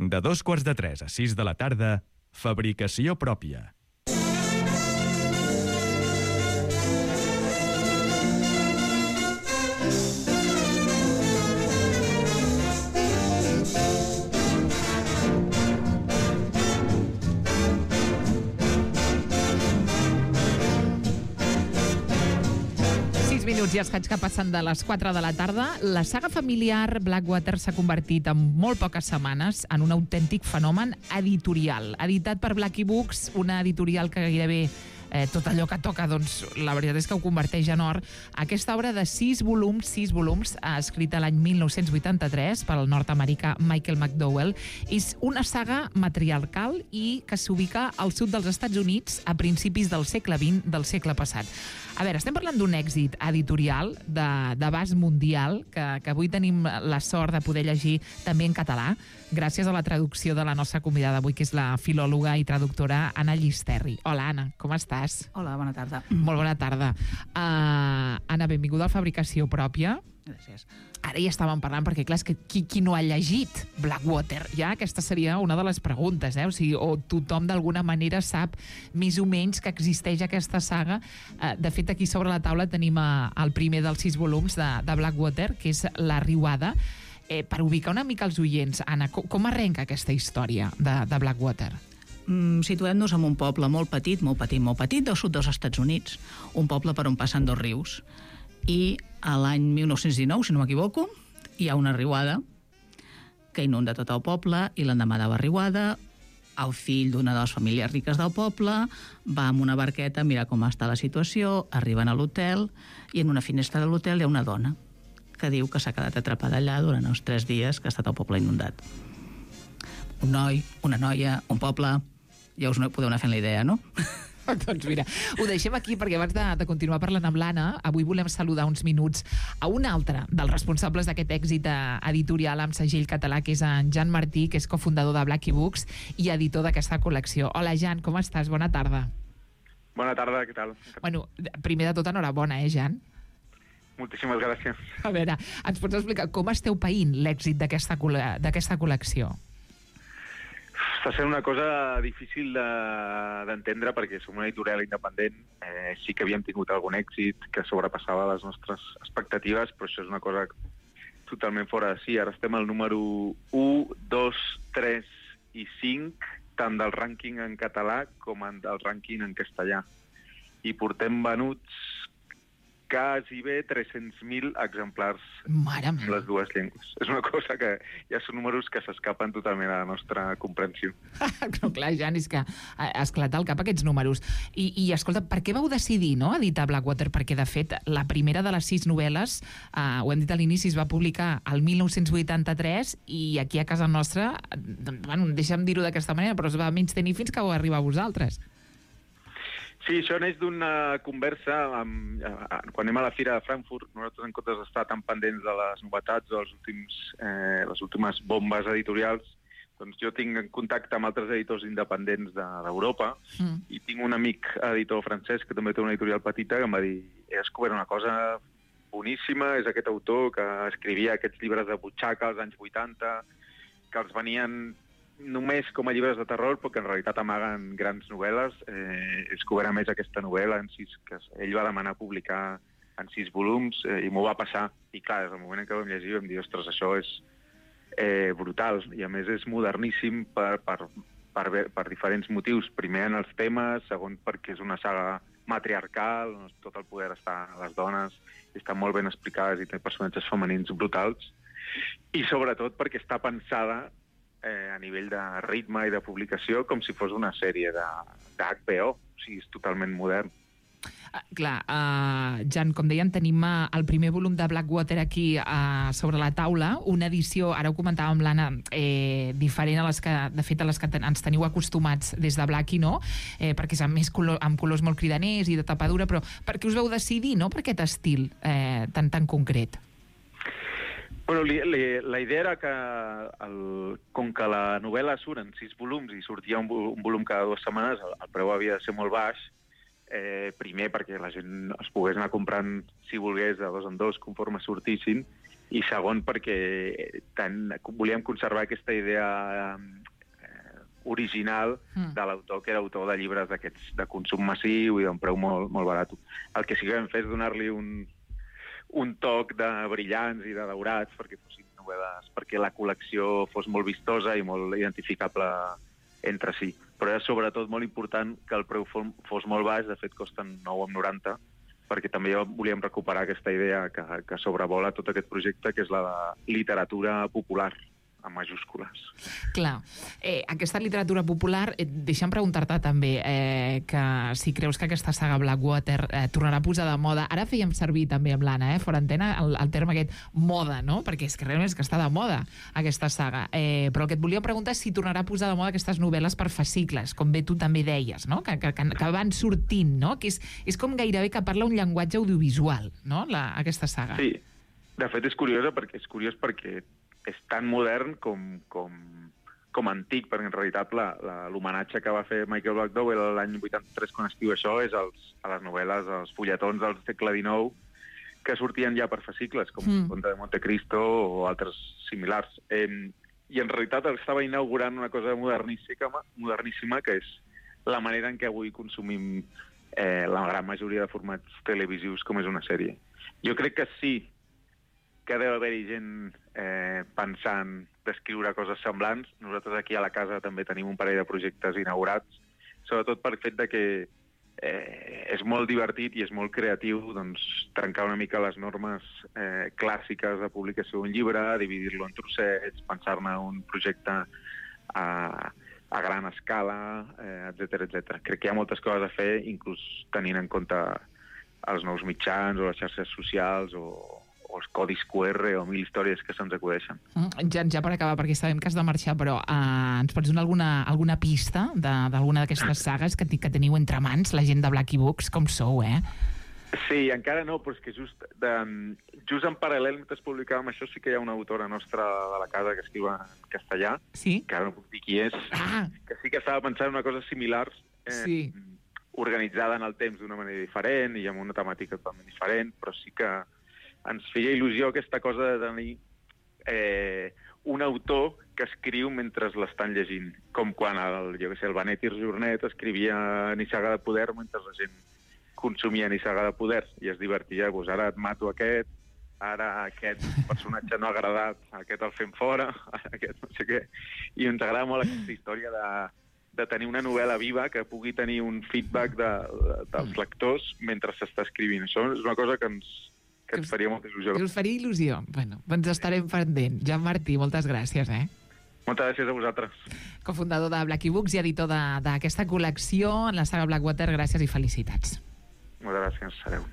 De 2:45 a 6 de la tarda, fabricació pròpia. Minuts i els faig que passen de les 4 de la tarda. La saga familiar Blackwater s'ha convertit en molt poques setmanes en un autèntic fenomen editorial. Editat per Blackie Books, una editorial que gairebé tot allò que toca, doncs, la veritat és que ho converteix en or. Aquesta obra de 6 volums, escrita l'any 1983 pel nord-americà Michael McDowell, és una saga matriarcal i que s'ubica al sud dels Estats Units a principis del segle XX del segle passat. A veure, estem parlant d'un èxit editorial d'abast mundial que avui tenim la sort de poder llegir també en català, gràcies a la traducció de la nostra convidada avui, que és la filòloga i traductora Anna Llisterri. Hola, Anna, com estàs? Hola, bona tarda. Molt bona tarda. Anna, benvinguda a Fabricació Pròpia. Gràcies. Ara ja estàvem parlant, perquè clar, és que qui no ha llegit Blackwater? Ja aquesta seria una de les preguntes, o sigui, o tothom d'alguna manera sap més o menys que existeix aquesta saga. De fet, aquí sobre la taula tenim el primer dels 6 volums de Blackwater, que és La Riuada. Per ubicar una mica els oients, Anna, com arrenca aquesta història de Blackwater? Situem-nos en un poble molt petit del sud dels Estats Units, un poble per on passen 2 rius. I a l'any 1919, si no m'equivoco, hi ha una riuada que inunda tot el poble, i l'endemà de la riuada el fill d'una de les famílies riques del poble va amb una barqueta a mirar com està la situació, arriben a l'hotel i en una finestra de l'hotel hi ha una dona que diu que s'ha quedat atrapada allà durant els 3 dies que ha estat el poble inundat. Un noi, una noia, un poble, ja us podeu anar fent la idea, no? Doncs mira, ho deixem aquí perquè abans de continuar parlant amb l'Anna, avui volem saludar uns minuts a un altre dels responsables d'aquest èxit editorial amb segell català, que és en Jan Martí, que és cofundador de Blackie Books i editor d'aquesta col·lecció. Hola, Jan, com estàs? Bona tarda. Bona tarda, què tal? Bueno, primer de tot, enhorabona, Jan? Moltíssimes gràcies. A veure, ens pots explicar com esteu paint l'èxit d'aquesta col·lecció? Està sent una cosa difícil d'entendre perquè som una editorial independent. Sí que havíem tingut algun èxit que sobrepassava les nostres expectatives, però això és una cosa totalment fora de si. Ara estem al número 1, 2, 3 i 5, tant del rànquing en català com del rànquing en castellà. I portem venuts quasi bé 300.000 exemplars en les dues llengües. És una cosa que ja són números que s'escapen totalment a la nostra comprensió. Però clar, Jan, és que ha esclatat al cap aquests números. I escolta, per què vau decidir editar Blackwater? Perquè, de fet, la primera de les 6 novel·les, ho hem dit a l'inici, es va publicar el 1983 i aquí a casa nostra, bueno, deixa'm dir-ho d'aquesta manera, però es va menys tenir fins que vau arribar a vosaltres. Sí, això neix d'una conversa quan anem a la Fira de Frankfurt. Nosaltres, en comptes d'estar tan pendents de les novetats o les últimes bombes editorials, doncs jo tinc en contacte amb altres editors independents d'Europa i tinc un amic editor francès que també té una editorial petita que em va dir: he descobert una cosa boníssima, és aquest autor que escrivia aquests llibres de butxaca als anys 80, que els venien només com a llibres de terror, però que en realitat amaguen grans novel·les. He descobert a més aquesta novel·la que ell va demanar publicar en 6 volums i m'ho va passar. I clar, des del moment en què vam llegir vam dir: ostres, això és brutal. I a més és moderníssim per diferents motius. Primer en els temes, segon perquè és una saga matriarcal, on tot el poder està a les dones, estan molt ben explicades i té personatges femenins brutals. I sobretot perquè està pensada a nivell de ritme i de publicació com si fos una sèrie d'HBO, o sigui, és totalment modern. Clar, Jan, com deien, tenim el primer volum de Blackwater aquí sobre la taula, una edició, ara ho comentàvem l'Anna, diferent a les que, de fet, a les que ens teniu acostumats des de Blackie, no? Perquè és amb colors molt cridaners i de tapadura, però per què us vau decidir, no?, per aquest estil tan concret? Bueno, la idea era que, com que la novel·la surt en 6 volums i sortia un volum cada 2 setmanes, el preu havia de ser molt baix, primer perquè la gent es pogués anar comprant, si volgués, de 2 en 2 conforme sortissin, i segon perquè volíem conservar aquesta idea original de l'autor, que era autor de llibres d'aquests de consum massiu i d'un preu molt, molt barat. El que sí que vam fer és donar-li un toc de brillants i de daurats perquè fossin novel·les, perquè la col·lecció fos molt vistosa i molt identificable entre si. Però era sobretot molt important que el preu fos molt baix, de fet costen 9,90, perquè també volíem recuperar aquesta idea que sobrevola tot aquest projecte, que és la de literatura popular, amb majúscules. Clar. Aquesta literatura popular, deixa'm preguntar-te també que si creus que aquesta saga Blackwater tornarà a posar de moda. Ara fèiem servir també amb l'Anna, fora antena, el terme aquest moda, no? Perquè és que realment és que està de moda aquesta saga. Però el que et volia preguntar és si tornarà a posar de moda aquestes novel·les per fascicles, com bé tu també deies, no? Que van sortint, no? Que és com gairebé que parla un llenguatge audiovisual, no? Aquesta saga. Sí. De fet, és curiós perquè és tan modern com antic, perquè en realitat l'homenatge que va fer Michael Blackdowell l'any 83 quan escriu això és a les novel·les, als fulletons del segle XIX que sortien ja per fascicles, com Conte de Monte Cristo o altres similars. I en realitat estava inaugurant una cosa moderníssima, que és la manera en què avui consumim la gran majoria de formats televisius com és una sèrie. Jo crec que sí que deu haver-hi gent pensant d'escriure coses semblants. Nosaltres aquí a la casa també tenim un parell de projectes inaugurats, sobretot per fet de que és molt divertit i és molt creatiu trencar una mica les normes clàssiques de publicació d'un llibre, dividir-lo en trossets, pensar-ne un projecte a gran escala, etc. Crec que hi ha moltes coses a fer, inclús tenint en compte els nous mitjans o les xarxes socials o els codis QR o 1000 històries que se'ns acudeixen. Ja per acabar, perquè sabem que has de marxar, però ens pots donar alguna pista d'alguna d'aquestes sagues que teniu entre mans, la gent de Blacky Books, com sou, Sí, encara no, però és que just en paral·lel, mentre publicàvem això, sí que hi ha una autora nostra de la casa que escriu en castellà, sí? Que ara no puc dir qui és, que sí que estava pensant en una cosa similar, organitzada en el temps d'una manera diferent i amb una temàtica totalment diferent, però sí que ens feia il·lusió aquesta cosa de tenir un autor que escriu mentre l'estan llegint, com quan el Benet i Jornet escrivia Nissaga de Poder mentre la gent consumia Nissaga de Poder i es divertia, ara et mato aquest, ara aquest personatge no ha agradat, aquest el fem fora, aquest no sé què, i ens agrada molt aquesta història de tenir una novel·la viva que pugui tenir un feedback dels lectors mentre s'està escrivint. Això és una cosa que ens faria molta il·lusió. Que us faria il·lusió. Bueno, ens estarem pendent. Jan Martí, moltes gràcies, Moltes gràcies a vosaltres. Cofundador de Blacky Books i editor d'aquesta col·lecció en la saga Blackwater, gràcies i felicitats. Moltes gràcies. Adéu.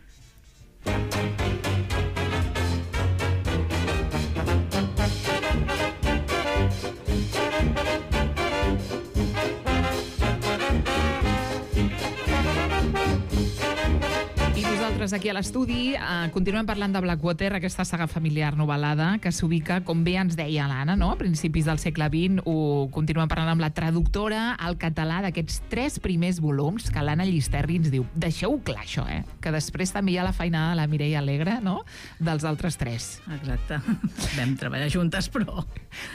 Aquí a l'estudi continuem parlant de Blackwater, aquesta saga familiar novel·lada que s'ubica, com bé ens deia l'Anna, no? A principis del segle XX. Continuem parlant amb la traductora al català d'aquests 3 primers volums, que l'Anna Llisterri ens diu, deixeu clar això, que després també hi ha la feinada de la Mireia Alegre, no?, dels altres 3. Exacte. Vam treballar juntes, però...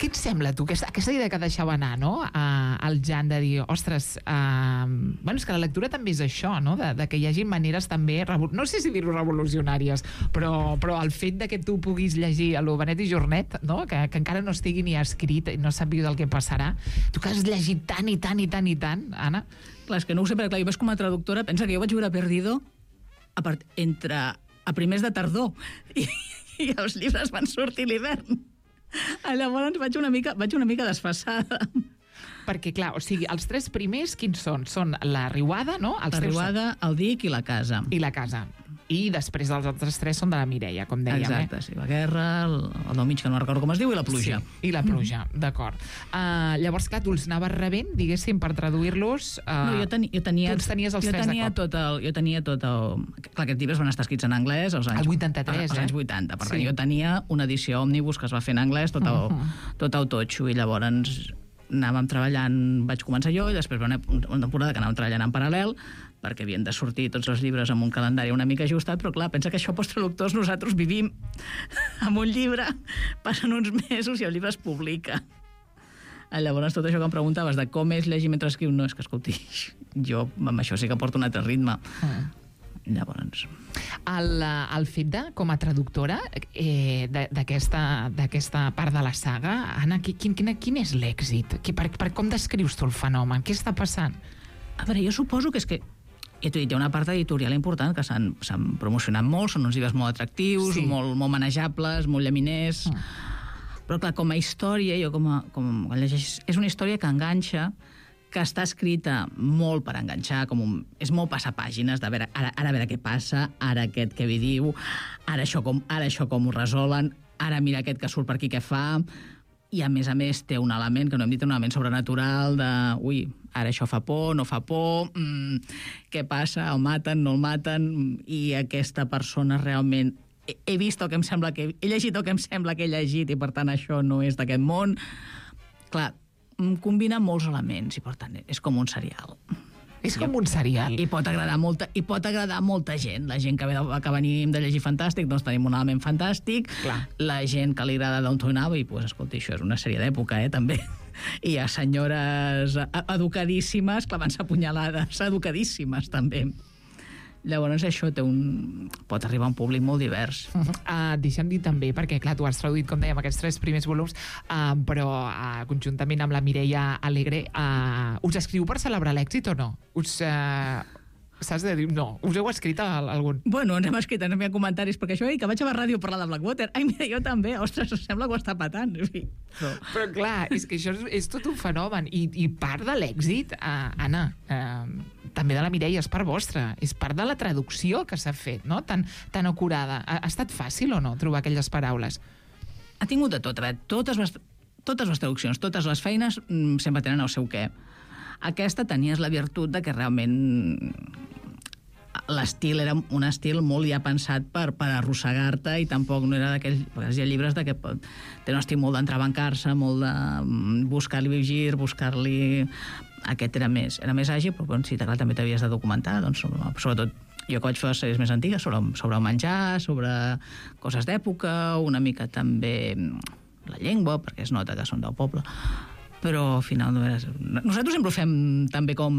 Què et sembla, tu, aquesta idea que deixava anar, no?, al Jan de dir, ostres, és que la lectura també és això, no?, de que hi hagi maneres també, no sé si dir-ho revolucionàries, però el fet de que tu puguis llegir a lo Benet i Jornet, no?, que encara no estigui ni escrit i no sàpigues el que passarà, tu que has llegit tant i tant i tant i tant, Anna. Clar, és que no ho sé, perquè jo vaig com a traductora, pensa que jo vaig veure Perdido a primers de tardor i els llibres van sortir a l'hivern. Llavors vaig una mica desfasada. Perquè, clar, o sigui, els 3 primers, quins són? Són la Riuada, no? La Riuada, el Dic i la Casa. I la Casa. I després els altres 3 són de la Mireia, com dèiem. Exacte, sí. La Guerra, el del mig, que no recordo com es diu, i la Pluja. Sí, i la Pluja, d'acord. Llavors, clar, tu els anaves rebent, diguéssim, per traduir-los... No, jo tenia... Tu els tenies els 3 de cop. Jo tenia tot el... Clar, aquests llibres van estar escrits en anglès als anys... El 83, als anys 80. Per tant, jo tenia una edició òmnibus que es va fer en anglès, tot el totxo, i llavors anàvem treballant, vaig començar jo, i després va una temporada que anàvem treballant en paral·lel, perquè havien de sortir tots els llibres amb un calendari una mica ajustat, però clar, pensa que això pels traductors nosaltres vivim amb un llibre, passen uns mesos i el llibre es publica. Llavors, tot això que em preguntaves de com és llegir mentre escriu, no, és que, escolti, jo amb això sí que porto un altre ritme. Llavors... El fet de, com a traductora d'aquesta part de la saga, Anna, quin és l'èxit? Per com descrius tu el fenomen? Què està passant? A veure, jo suposo que és que ja t'ho he dit, hi ha una part editorial important que s'han promocionat molt, són uns llibres molt atractius, sí, molt manejables, molt llaminers, però clar, com a història, jo quan llegeix, és una història que enganxa, que està escrita molt per enganxar, és molt passapàgines, de veure, ara a veure què passa, ara aquest què vi diu, ara això com ho resolen, ara mira aquest que surt per aquí què fa, i a més té un element, que no hem dit, un element sobrenatural de, ui, ara això fa por, no fa por, què passa, el maten, no el maten, i aquesta persona realment... He vist el que em sembla que... He llegit el que em sembla que he llegit i, per tant, això no és d'aquest món. Clar, combina molts elements i, per tant, és com un serial. És com un serial. I pot agradar molta gent. La gent que venim de llegir fantàstic, doncs tenim un element fantàstic. Clar. La gent que li agrada Downton Abbey, doncs, escolta, això és una sèrie d'època, també. I hi ha senyores educadíssimes clavant-se punyalades, educadíssimes, també. Llavors això pot arribar a un públic molt divers. Deixa'm dir també, perquè clar, tu has traduït, com dèiem, aquests 3 primers volums, però conjuntament amb la Mireia Alegre, us escriu per celebrar l'èxit o no? Saps de dir, no, us heu escrit algun? Bueno, ens hem escrit, ens hem comentaris, perquè això, que vaig a la ràdio a parlar de Blackwater. Ai, mira, jo també, ostres, sembla que ho està patant. Però clar, és que això és tot un fenomen, i part de l'èxit, Anna, també de la Mireia, és part vostra, és part de la traducció que s'ha fet, no? Tan acurada. Ha estat fàcil o no trobar aquelles paraules? Ha tingut de tot. A veure, totes les traduccions, totes les feines sempre tenen el seu què. Aquesta tenies la virtut de que realment l'estil era un estil molt ja pensat per arrossegar-te, i tampoc no era d'aquells... Perquè hi ha llibres que tenen un estil molt d'entrebancar-se, molt de buscar-li gir, buscar-li... Aquest era més àgil, però sí, clar, també t'havies de documentar, doncs, sobretot jo que vaig fer les sèries més antigues, sobre el menjar, sobre coses d'època, una mica també la llengua, perquè es nota que són del poble. Però al final nosaltres sempre ho fem tan bé com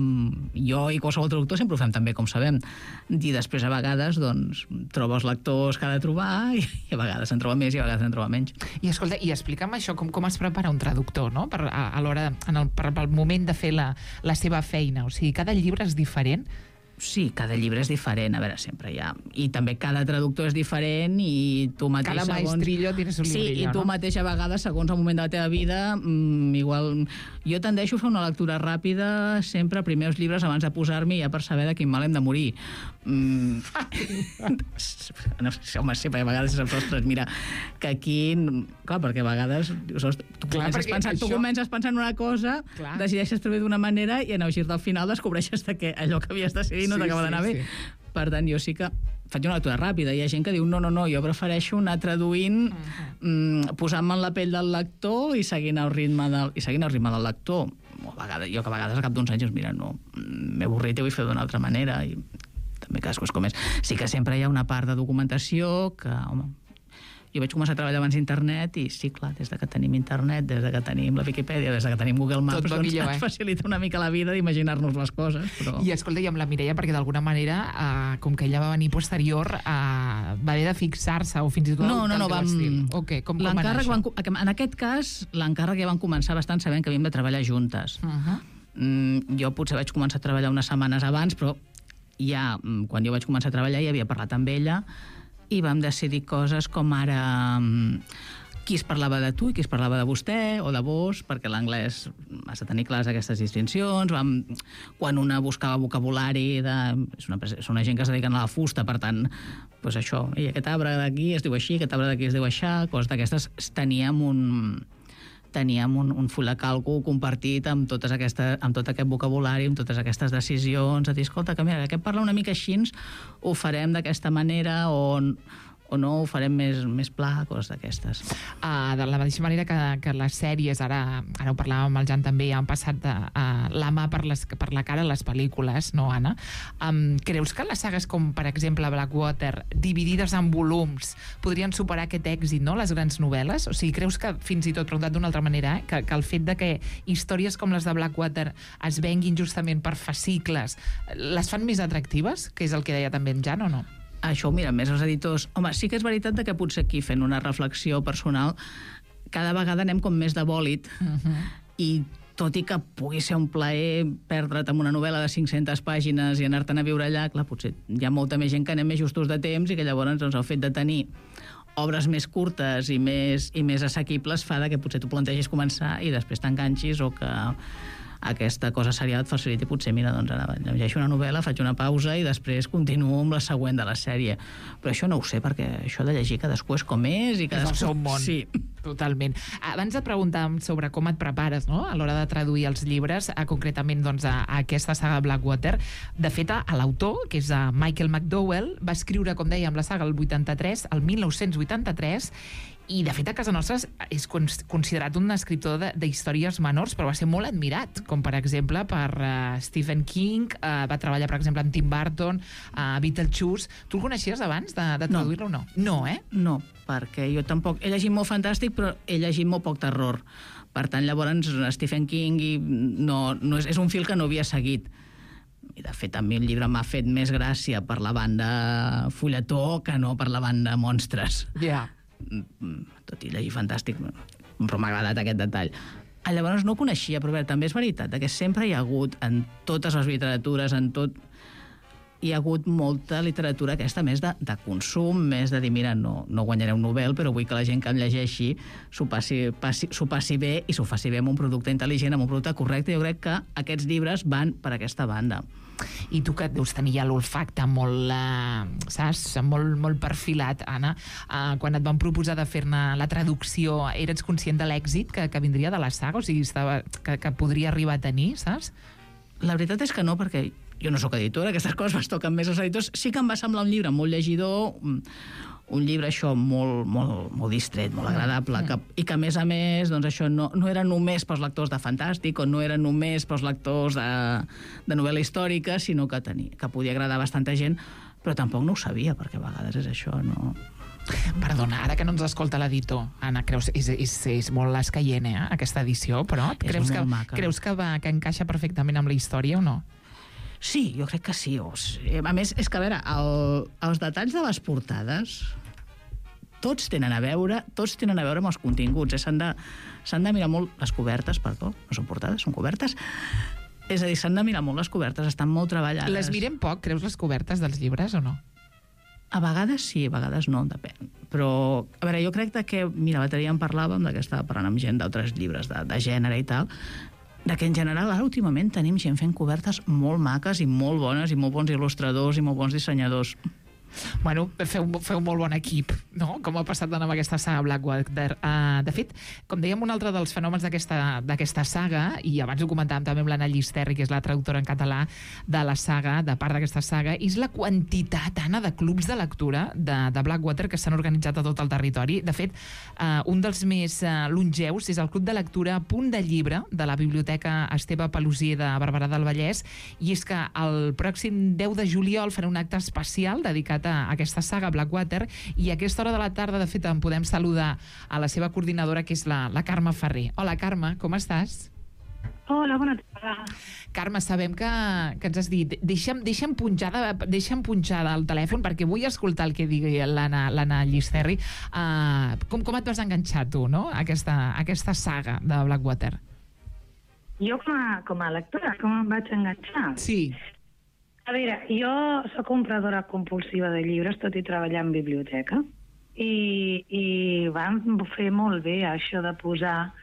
jo, i qualsevol traductor sempre ho fem tan bé com sabem, i després a vegades doncs troba els lectors que ha de trobar, i a vegades en troba més i a vegades en troba menys. I escolta, i explica'm això, com es prepara un traductor, no? A l'hora, pel moment de fer la seva feina, o sigui, cada llibre és diferent? Sí, cada llibre és diferent, a veure, sempre hi ha... I també cada traductor és diferent, i tu mateix... Cada maestrillo tienes un librillo, sí, i tu mateix a vegades, segons el moment de la teva vida, igual... Jo tendeixo a fer una lectura ràpida sempre, primers llibres, abans de posar-m'hi, ja per saber de quin mal hem de morir. No sé, home, sí, perquè a vegades saps, ostres, mira, que aquí... Clar, perquè a vegades tu comences pensant una cosa, decideixes treballar d'una manera, i en el gir del final descobreixes que allò que havies decidit no t'acaba d'anar bé. Per tant, jo sí que faig una lectura ràpida. Hi ha gent que diu, no, jo prefereixo anar traduint, posant-me en la pell del lector i seguint el ritme del lector. Jo que a vegades al cap d'uns anys, mira, no, m'he avorrit i vull fer d'una altra manera, i també cadascú és com és. Sí que sempre hi ha una part de documentació que, home, jo vaig començar a treballar abans d'internet, i sí, clar, des que tenim internet, des que tenim la Viquipèdia, des que tenim Google Maps, doncs ens facilita una mica la vida d'imaginar-nos les coses. Però... I escolta, i amb la Mireia, perquè d'alguna manera, com que ella va venir posterior, va haver de fixar-se, o fins i tot no, vam... estil. Okay, com va anar això? En aquest cas, l'encàrrec ja van començar bastant sabent que havíem de treballar juntes. Jo potser vaig començar a treballar unes setmanes abans, però ja, quan jo vaig començar a treballar, ja havia parlat amb ella, i vam decidir coses com ara qui es parlava de tu i qui es parlava de vostè o de vos, perquè l'anglès has de tenir clares aquestes distincions. Quan una buscava vocabulari, és una gent que es dediquen a la fusta, per tant, doncs això, i aquest arbre d'aquí es diu així, aquest arbre d'aquí es diu així, coses d'aquestes. Teníem un full de càlcul compartit amb tot aquest vocabulari, amb totes aquestes decisions, de dir, escolta, que mira, aquest parla una mica així, ho farem d'aquesta manera, o o no ho farem més pla, coses d'aquestes. De la mateixa manera que les sèries, ara ho parlàvem amb el Jan també, han passat la mà per la cara a les pel·lícules, no, Anna? Creus que les sagues com, per exemple, Blackwater, dividides en volums, podrien superar aquest èxit, no?, les grans novel·les? O sigui, creus que, fins i tot, preguntat d'una altra manera, que el fet de que històries com les de Blackwater es venguin justament per fascicles, les fan més atractives, que és el que deia també en Jan, o no? Això ho miren més els editors. Home, sí que és veritat que potser aquí, fent una reflexió personal, cada vegada anem com més de bòlit, i tot i que pugui ser un plaer perdre't en una novel·la de 500 pàgines i anar-te'n a viure allà, clar, potser hi ha molta més gent que anem més justos de temps i que llavors doncs, el fet de tenir obres més curtes i més assequibles fa que potser tu plantegis començar i després t'enganxis, o que aquesta cosa serial et faciliti potser, mira, doncs ara llegeixo una novel·la, faig una pausa i després continuo amb la següent de la sèrie. Però això no ho sé, perquè això de llegir cadascú és com és i cadascú... És el seu món. Sí. Totalment. Abans et preguntàvem sobre com et prepares, no?, a l'hora de traduir els llibres, concretament doncs, a aquesta saga Blackwater. De fet, l'autor, que és Michael McDowell, va escriure, com dèiem, la saga el 1983, i de fet a casa nostra és considerat un escriptor d'històries menors, però va ser molt admirat, com per exemple per Stephen King, va treballar per exemple amb Tim Burton, Beetlejuice. Tu el coneixies abans de traduir-lo o no? No, No, perquè jo tampoc... He llegit molt fantàstic, però he llegit molt poc terror. Per tant, llavors, Stephen King és un fil que no havia seguit. I, de fet, a mi el llibre m'ha fet més gràcia per la banda fulletó que no per la banda monstres. Ja. Tot i llegir fantàstic, però m'ha agradat aquest detall. Llavors no ho coneixia, però bé, també és veritat que sempre hi ha hagut, en totes les literatures, en tot, hi ha hagut molta literatura aquesta més de consum, més de dir, mira, no guanyaré un Nobel, però vull que la gent que em llegeixi s'ho passi bé i s'ho faci bé amb un producte intel·ligent, amb un producte correcte. Jo crec que aquests llibres van per aquesta banda. I tu, que deus tenir ja l'olfacte molt, saps, molt perfilat, Anna, quan et van proposar de fer-ne la traducció, eres conscient de l'èxit que vindria de la saga? O sigui, que podria arribar a tenir, saps? La veritat és que no, perquè jo no sóc editora, aquestes coses les toquen més als editors. Sí que em va semblar un llibre molt llegidor, un llibre això molt distret, molt agradable, i que a més doncs això no era només pels lectors de fantàstic, o no era només pels lectors de novel·la històrica, sinó que podia agradar a bastanta gent, però tampoc no ho sabia, perquè a vegades és això, no... Perdona, ara que no ens escolta l'editor, Anna, creus és molt escaient, aquesta edició, però creus que encaixa perfectament amb la història o no? Sí, jo crec que sí. A més, és que, a veure, els detalls de les portades tots tenen a veure amb els continguts. S'han de mirar molt les cobertes, perdó, no són portades, són cobertes. És a dir, s'han de mirar molt les cobertes, estan molt treballades. Les mirem poc, creus, les cobertes dels llibres o no? A vegades sí, a vegades no, depèn. Però, a veure, jo crec que, mira, l'altre dia en parlàvem, que estava parlant amb gent d'altres llibres de gènere i tal, que en general ara últimament tenim gent fent cobertes molt maques i molt bones, i molt bons il·lustradors i molt bons dissenyadors. Bueno, feu molt bon equip, no?, com ha passat amb aquesta saga Blackwater. De fet, com dèiem, un altre dels fenòmens d'aquesta saga, i abans ho comentàvem també amb l'Anna Llisterri, que és la traductora en català de la saga, de part d'aquesta saga, és la quantitat, Anna, de clubs de lectura de Blackwater que s'han organitzat a tot el territori. De fet, un dels més longeus és el Club de Lectura Punt de Llibre de la Biblioteca Esteve Pelosier de Barberà del Vallès, i és que el pròxim 10 de juliol farà un acte especial dedicat a aquesta saga Blackwater, i a aquesta hora de la tarda, de fet, en podem saludar a la seva coordinadora, que és la Carme Ferrer. Hola, Carme, com estàs? Hola, bona tarda. Carme, sabem que ens has dit deixa'm punxar el telèfon perquè vull escoltar el que digui l'Anna Llisterri. Com et vas enganxar tu, no?, a aquesta saga de Blackwater? Jo com a lectora, com em vaig enganxar? Sí. A veure, jo soc compradora compulsiva de llibres, tot i treballar en biblioteca, i van fer molt bé això de posar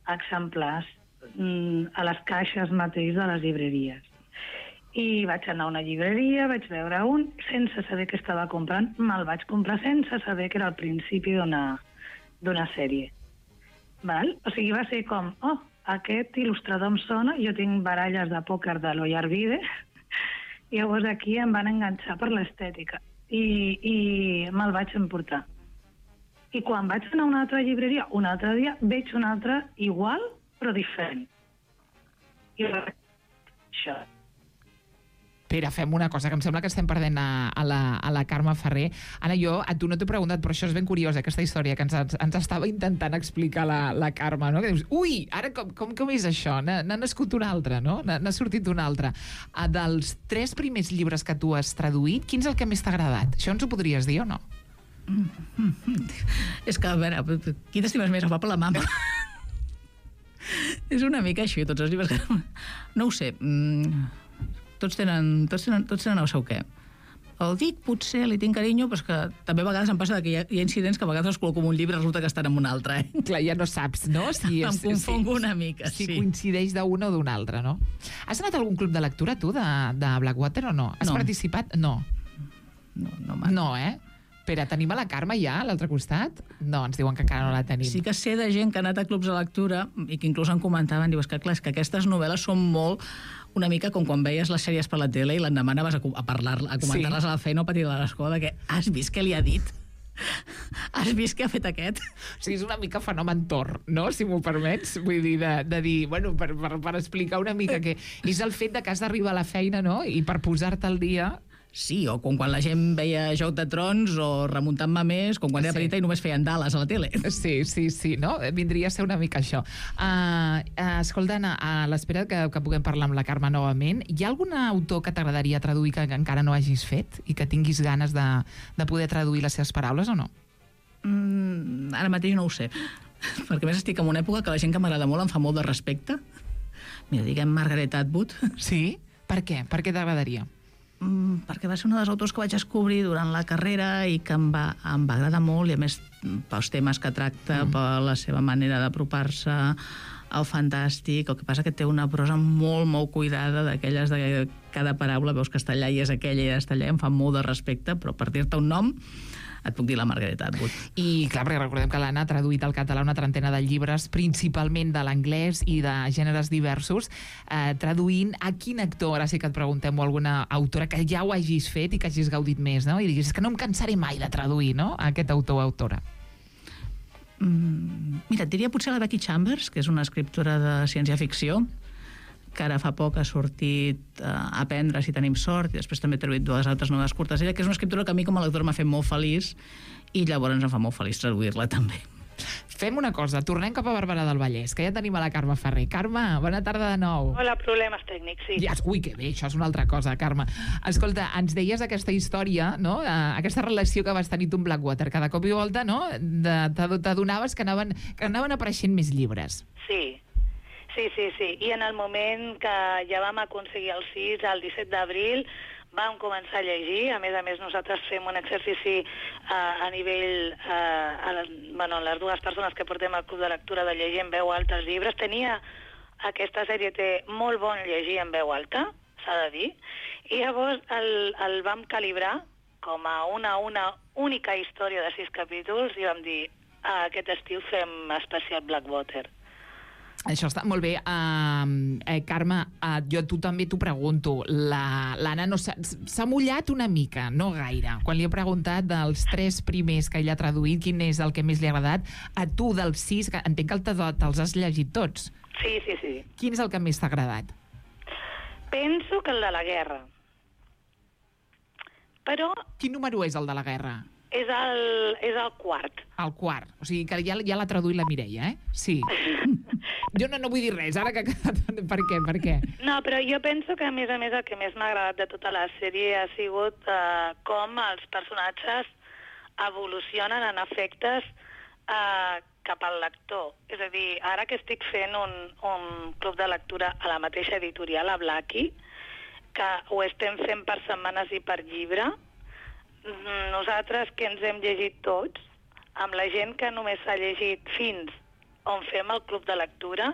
exemplars a les caixes mateix de les llibreries. I vaig anar a una llibreria, vaig veure un, sense saber què estava comprant, me'l vaig comprar sense saber que era el principi d'una sèrie. Val? O sigui, va ser com, aquest il·lustrador em sona, jo tinc baralles de pòquer de l'Oyarbide, i llavors aquí em van enganxar per l'estètica. i me'l vaig emportar. I quan vaig anar a una altra llibreria, un altre dia, veig un altre igual, però diferent. I això. Pere, fem una cosa, que em sembla que estem perdent a la Carme Ferrer. Anna, jo a tu no t'he preguntat, però això és ben curiós, aquesta història que ens estava intentant explicar la Carme, no? Que dius, ui, ara com és això? N'ha nascut un altre, no? N'ha sortit un altre. Dels 3 primers llibres que tu has traduït, quin és el que més t'ha agradat? Això ens ho podries dir o no? És que, a veure, qui t'estimes més, el papa o la mama? És una mica així, tots els llibres que... No ho sé, tots tenen el seu què. El dic, potser li tinc carinyo, però és que també a vegades em passa que hi ha incidents que a vegades els col·loco en un llibre i resulta que estan en un altre. Clar, ja no saps, no? Em confongo una mica, sí. Si coincideix d'un o d'un altre, no? Has anat a algun club de lectura, tu, de Blackwater, o no? Has participat? No. No, eh? Pere, tenim a la Carme ja, a l'altre costat? No, ens diuen que encara no la tenim. Sí que sé de gent que ha anat a clubs de lectura i que inclús en comentaven, diu, és que aquestes novel·les són molt una mica com quan veies les sèries per la tele i l'endemà anaves a comentar-les a la feina o a patir a l'escola, que has vist què li ha dit? Has vist què ha fet aquest? O sigui, és una mica fenomen Tor, no? Si m'ho permets. Vull dir, de dir, bueno, per explicar una mica que és el fet de que has d'arribar a la feina, no? I per posar-te al dia... Sí, o com quan la gent veia Joc de Trons o Remuntant-me més, com quan era petita i només feien Dallas a la tele. Sí, no? Vindria a ser una mica això. Escolta, Anna, a l'espera que puguem parlar amb la Carme novament, hi ha algun autor que t'agradaria traduir que encara no hagis fet i que tinguis ganes de poder traduir les seves paraules o no? Ara mateix no ho sé, perquè més estic en una època que la gent que m'agrada molt em fa molt de respecte. Mira, diguem Margaret Atwood. Sí? Per què? Per què t'agradaria? Perquè va ser un dels autors que vaig descobrir durant la carrera i que em va agradar molt, i a més pels temes que tracta, per la seva manera d'apropar-se al fantàstic. El que passa que té una prosa molt, molt cuidada, d'aquelles de cada paraula veus que està allà i és aquella i està allà, em fa molt de respecte, però per dir-te un nom et puc dir la Margaret Atwood. I clar, perquè recordem que l'Anna ha traduït al català una trentena de llibres, principalment de l'anglès i de gèneres diversos, traduint a quin actor, ara sí que et preguntem, o alguna autora que ja ho hagis fet i que hagis gaudit més, no? I diguis, és que no em cansaré mai de traduir, no?, a aquest autor o autora. Mira, et diria potser la Becky Chambers, que és una escriptora de ciència-ficció, que ara fa poc ha sortit Aprendre si tenim sort, i després també he traduït 2 altres novel·les curtes. Ella, que és una escriptora que a mi com a lectora m'ha fet molt feliç, i llavors em fa molt feliç traduir-la també. Fem una cosa, tornem cap a Barberà del Vallès, que ja tenim a la Carme Ferrer. Carme, bona tarda de nou. Hola, problemes tècnics, sí. Ui, que bé, això és una altra cosa, Carme. Escolta, ens deies aquesta història, no?, aquesta relació que vas tenir tu amb Blackwater, que de cop i volta, no?, t'adonaves que anaven apareixent més llibres. Sí. I en el moment que ja vam aconseguir el 6, el 17 d'abril, vam començar a llegir. A més, nosaltres fem un exercici a nivell... les 2 persones que portem al club de lectura de llegir en veu alta els llibres. Aquesta sèrie té molt bon llegir en veu alta, s'ha de dir, i llavors el vam calibrar com a una única història de 6 capítols i vam dir, aquest estiu fem especial Blackwater. Això està molt bé. Carme, jo tu també t'ho pregunto. L'Anna s'ha mullat una mica, no gaire. Quan li he preguntat dels 3 primers que ella ha traduït, quin és el que més li ha agradat, a tu dels 6, que entenc que te'ls has llegit tots. Sí. Quin és el que més t'ha agradat? Penso que el de la guerra. Però... Quin número és el de la guerra? És el 4. El 4. O sigui que ja l'ha traduït la Mireia, Sí. Jo no vull dir res, ara que... Per què? No, però jo penso que, a més, el que més m'ha agradat de tota la sèrie ha sigut com els personatges evolucionen en efectes cap al lector. És a dir, ara que estic fent un club de lectura a la mateixa editorial, a Blackie, que ho estem fent per setmanes i per llibre, nosaltres que ens hem llegit tots, amb la gent que només s'ha llegit fins on fem el club de lectura,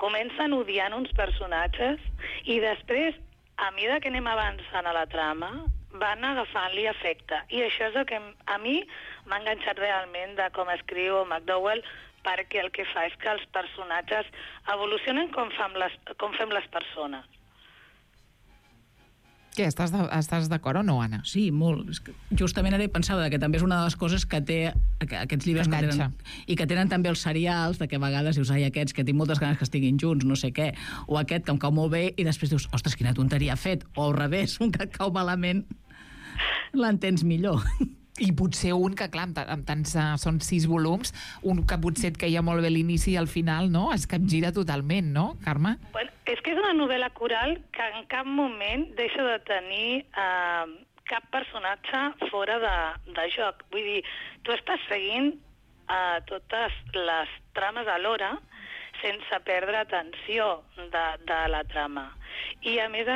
comencen odiant uns personatges i després, a mesura que anem avançant a la trama, van agafant-li efecte. I això és el que a mi m'ha enganxat realment de com escriu McDowell, perquè el que fa és que els personatges evolucionen com fem les persones. Què, estàs d'acord o no, Anna? Sí, molt. És que justament ara pensava que també és una de les coses que té aquests llibres que tenen, i que tenen també els serials, de que a vegades dius, ai, aquests que tinc moltes ganes que estiguin junts, no sé què, o aquest que em cau molt bé, i després dius, ostres, quina tonteria ha fet, o al revés, un que et cau malament l'entens millor. I potser un que, clar, amb tants són 6 volums, un que potser et queia molt bé l'inici i al final, no? Es capgira totalment, no, Carme? Bueno, és que és una novel·la coral que en cap moment deixa de tenir cap personatge fora de joc. Vull dir, tu estàs seguint totes les trames alhora sense perdre atenció de la trama. I, a més,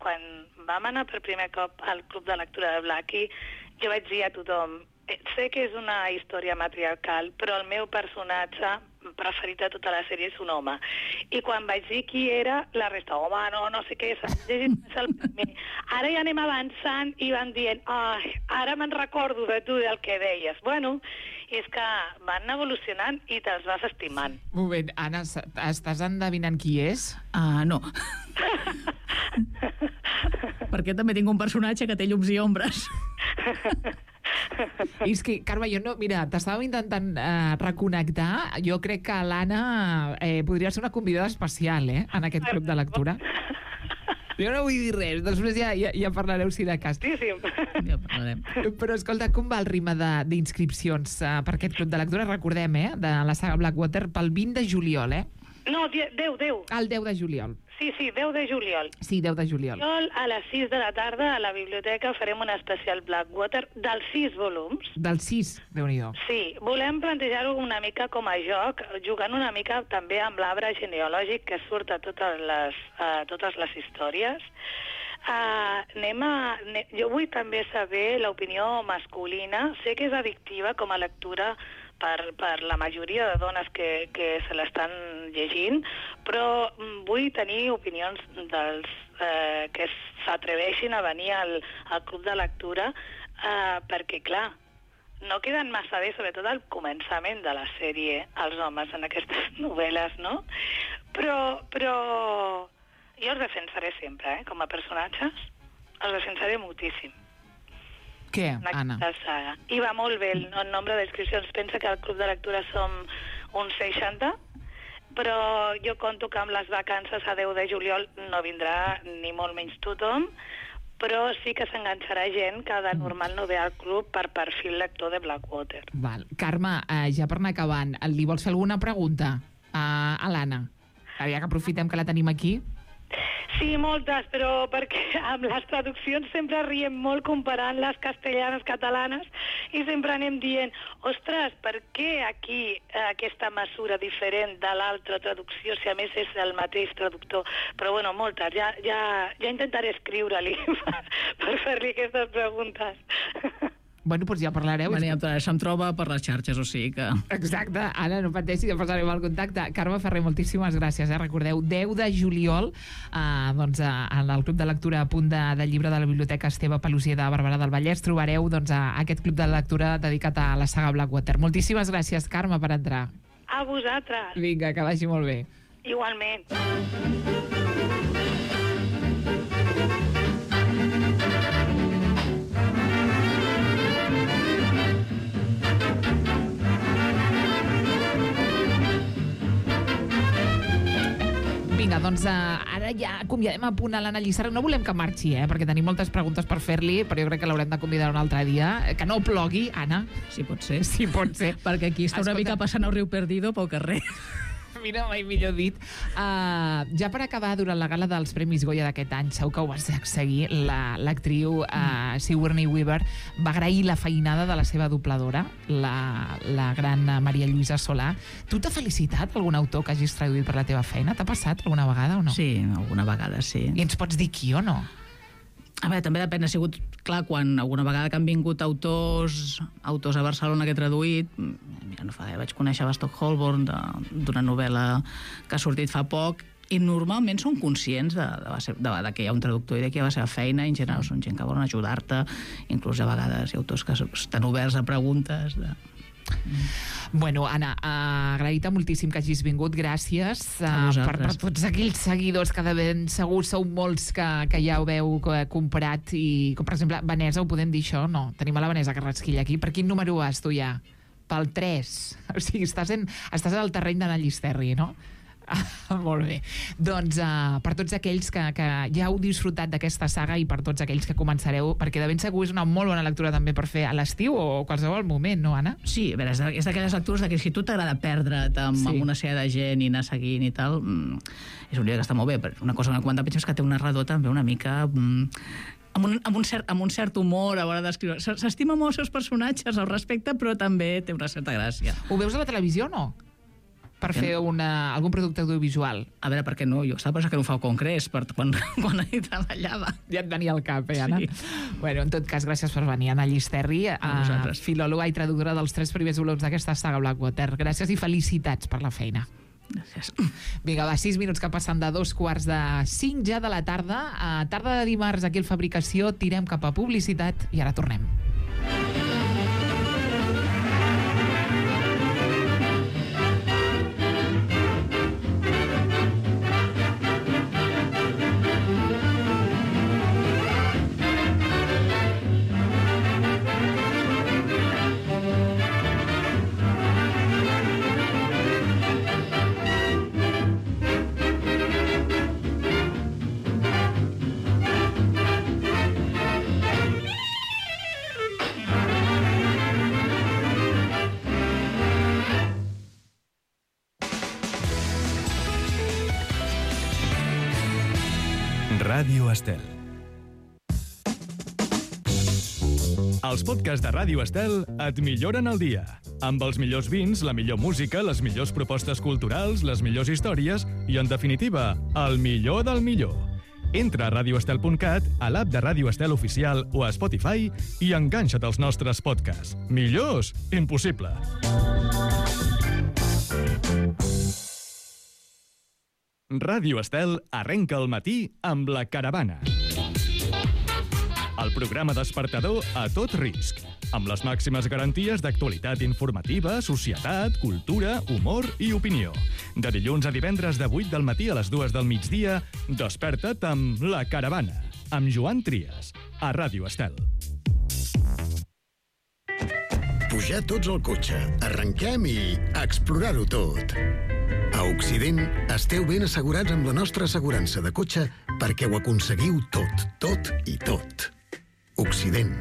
quan vam anar per primer cop al Club de Lectura de Blackie, jo vaig dir a tothom, sé que és una història matriarcal, però el meu personatge preferit de tota la sèrie és un home. I quan vaig dir qui era, la resta, home, no sé què, s'ha llegit el primer. Ara ja anem avançant i van dient, ai, ara me'n recordo de tu del que deies. Bueno, és que van evolucionant i te'ls vas estimant. Un moment, Anna, estàs endevinant qui és? No. Perquè també tinc un personatge que té llums i ombres. I és que, Carme, jo no... Mira, t'estàvem intentant reconnectar. Jo crec que l'Anna podria ser una convidada especial, en aquest club de lectura. Jo no vull dir res, després ja parlareu si de cas. Sí. Ja parlarem. Però escolta, com va el ritme d'inscripcions per aquest club de lectura? Recordem, de la saga Blackwater, pel 20 de juliol, No, 10. El 10 de juliol. Sí, 10 de juliol. Sí, 10 de juliol. A les 6 de la tarda a la biblioteca farem un especial Blackwater dels 6 volums. Dels 6, Déu-n'hi-do. Sí, volem plantejar-ho una mica com a joc, jugant una mica també amb l'arbre genealògic que surt a totes les històries. Jo vull també saber l'opinió masculina. Sé que és addictiva com a lectura per la majoria de dones que se l'estan llegint, però vull tenir opinions dels que s'atreveixin a venir al club de lectura, perquè, clar, no queden massa bé, sobretot al començament de la sèrie, els homes en aquestes novel·les, no? Però jo els defensaré sempre, com a personatges, els defensaré moltíssim. Què, Anna? Saga. I va molt bé el nombre d'inscripcions. Pensa que al club de lectura som uns 60, però jo conto que amb les vacances a 10 de juliol no vindrà ni molt menys tothom, però sí que s'enganxarà gent que de normal no ve al club per perfil lector de Blackwater. Val. Carme, ja per anar acabant, li vols fer alguna pregunta a l'Anna? Ja que aprofitem que la tenim aquí. Sí, moltes, però perquè amb les traduccions sempre riem molt comparant les castellanes catalanes i sempre anem dient, ostres, per què aquí aquesta mesura diferent de l'altra traducció, si a més és el mateix traductor? Però bueno, moltes, ja intentaré escriure-li per fer-li aquestes preguntes. Bueno, doncs ja parlareu. Se'm troba per les xarxes, o sigui que... Exacte. Anna, no pateixi, ja passarem el contacte. Carme Ferrer, moltíssimes gràcies. Recordeu, 10 de juliol, en el Club de Lectura a punt del llibre de la Biblioteca Esteve Pelosier de Barberà del Vallès trobareu aquest club de lectura dedicat a la saga Blackwater. Moltíssimes gràcies, Carme, per entrar. A vosaltres. Vinga, que vagi molt bé. Igualment. Vinga, doncs ara ja acomiadem a punt a l'Anna Lliçara. No volem que marxi, perquè tenim moltes preguntes per fer-li, però jo crec que l'haurem de convidar un altre dia. Que no plogui, Anna. Sí, pot ser. Sí, pot ser. Perquè aquí està una mica passant el riu Perdido pel carrer. Mira, mai millor dit. Ja per acabar, durant la gala dels Premis Goya d'aquest any, segur que ho vas seguir, l'actriu Sigourney Weaver va agrair la feinada de la seva dobladora, la gran Maria Lluïsa Solà. Tu t'ha felicitat algun autor que hagis traduït per la teva feina? T'ha passat alguna vegada o no? Sí, alguna vegada, sí. I ens pots dir qui o no? A veure, també depèn, ha sigut clar, quan alguna vegada que han vingut autors a Barcelona que he traduït, mira, no fa gaire, vaig conèixer Stock Holborn d'una novel·la que ha sortit fa poc, i normalment són conscients de que hi ha un traductor i de que hi ha la seva feina, i en general són gent que volen ajudar-te, inclús a vegades hi ha autors que estan oberts a preguntes Bueno, Anna, agraït-te moltíssim que hagis vingut, gràcies per tots aquells seguidors que de ben segur sou molts que ja ho veu comprat i, com per exemple, Vanessa, ho podem dir això? No, tenim a la Vanessa Carrasquilla aquí. Per quin número vas tu ja? Pel 3. O sigui, estàs al terreny d'Anna Llisterri, no? Molt bé. Doncs per tots aquells que ja heu disfrutat d'aquesta saga i per tots aquells que començareu, perquè de ben segur és una molt bona lectura també per fer a l'estiu o qualsevol moment, no, Anna? Sí, a veure, és d'aquelles lectures que si tu t'agrada perdre't amb una sèrie de gent i anar seguint i tal, és un llibre que està molt bé. Una cosa que quan és que té un narrador també una mica... amb un cert humor a l'hora d'escriure. S'estima molt els seus personatges, el respecte, però també té una certa gràcia. Ho veus a la televisió o no? Per fer algun producte audiovisual. A veure, per què no? Jo estava pensant que no ho fa el Congrés quan hi treballava. Ja et venia al cap, Anna? Sí. Bueno, en tot cas, gràcies per venir, Anna Llisterri, filòloga i traductora dels 3 primers volums d'aquesta saga Blackwater. Gràcies i felicitats per la feina. Gràcies. Vinga, va, 6 minuts que passen de 2:45 ja de la tarda. A tarda de dimarts, aquí al Fabricació, tirem cap a publicitat i ara tornem. Ràdio Estel. Els podcasts de Ràdio Estel et milloren el dia. Amb els millors vins, la millor música, les millors propostes culturals, les millors històries i, en definitiva, el millor del millor. Entra a radioestel.cat, a l'app de Ràdio Estel Oficial o a Spotify i enganxa't als nostres podcasts. Millors? Impossible. Ràdio Estel arrenca el matí amb La Caravana. El programa despertador a tot risc, amb les màximes garanties d'actualitat informativa, societat, cultura, humor i opinió. De dilluns a divendres de 8 del matí a les 2 del migdia, desperta't amb La Caravana, amb Joan Trias, a Ràdio Estel. Pujar tots al cotxe, arrenquem i explorar-ho tot. A Occident esteu ben assegurats amb la nostra assegurança de cotxe perquè ho aconseguiu tot, tot i tot. Occident.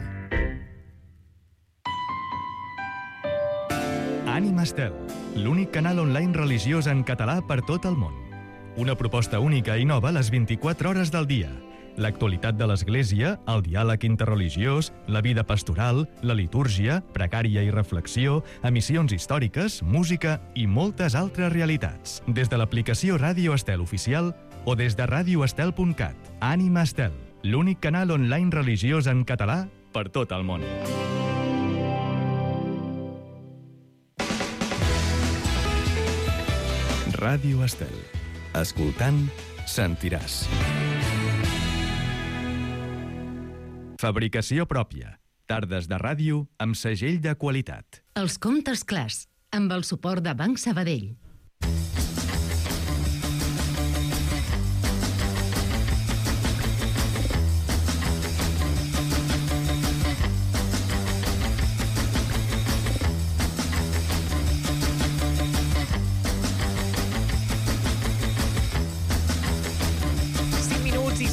Ànima Estel, l'únic canal online religiós en català per tot el món. Una proposta única i nova a les 24 hores del dia. L'actualitat de l'Església, el diàleg interreligiós, la vida pastoral, la litúrgia, precària i reflexió, emissions històriques, música i moltes altres realitats. Des de l'aplicació Ràdio Estel Oficial o des de radioestel.cat. Ànima Estel, l'únic canal online religiós en català per tot el món. Ràdio Estel. Escoltant, sentiràs. Fabricació pròpia. Tardes de ràdio amb segell de qualitat. Els comptes clars, amb el suport de Banc Sabadell.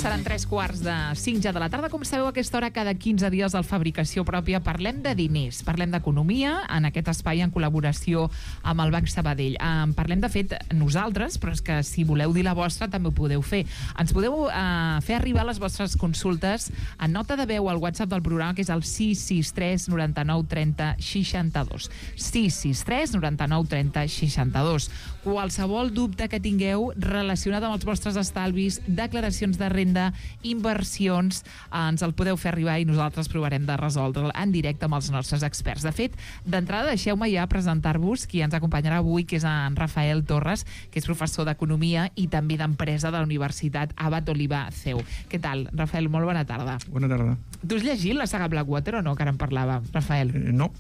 Seran 3:45 ja de la tarda. Com sabeu, a aquesta hora, cada 15 dies al Fabricació Pròpia parlem de diners, parlem d'economia, en aquest espai en col·laboració amb el Banc Sabadell. Parlem, de fet, nosaltres, però és que si voleu dir la vostra també ho podeu fer. Ens podeu fer arribar les vostres consultes en nota de veu al WhatsApp del programa, que és el 663 99 30 62. 663 99 30 62. Qualsevol dubte que tingueu relacionat amb els vostres estalvis, declaracions de renda, inversions, ens el podeu fer arribar i nosaltres provarem de resoldre'l en directe amb els nostres experts. De fet, d'entrada deixeu-me ja presentar-vos qui ens acompanyarà avui, que és en Rafael Torres, que és professor d'Economia i també d'Empresa de la Universitat Abat Oliba CEU. Què tal, Rafael? Molt bona tarda. Bona tarda. Tu has llegit la saga Blackwater o no, que ara en parlàvem, Rafael? No.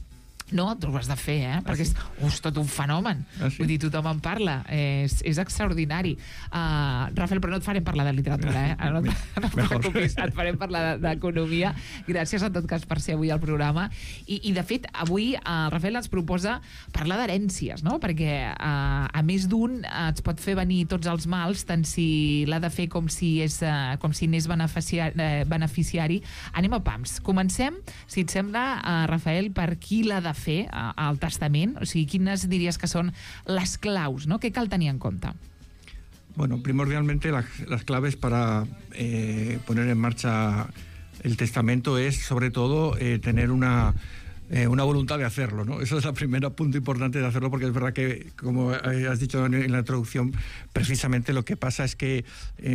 No, tu ho has de fer, perquè és tot un fenomen. Vull dir, tothom en parla. És extraordinari. Rafael, però no et farem parlar de literatura, no et preocupis, et farem parlar d'economia. Gràcies, en tot cas, per ser avui al programa. I de fet, avui el Rafael ens proposa parlar d'herències, no? Perquè a més d'un et pot fer venir tots els mals, tant si l'ha de fer com si n'és beneficiari. Anem a pams. Comencem, si et sembla, Rafael, per qui l'ha de fer al testament, o sigui, quines diries que són les claus, ¿no? Què cal tenir en compte? Bueno, primordialmente las claves para poner en marcha el testamento es, sobre todo, tener una voluntad de hacerlo, ¿no? Eso es el primer punto importante de hacerlo, porque es verdad que, como has dicho en la introducción, precisamente lo que pasa es que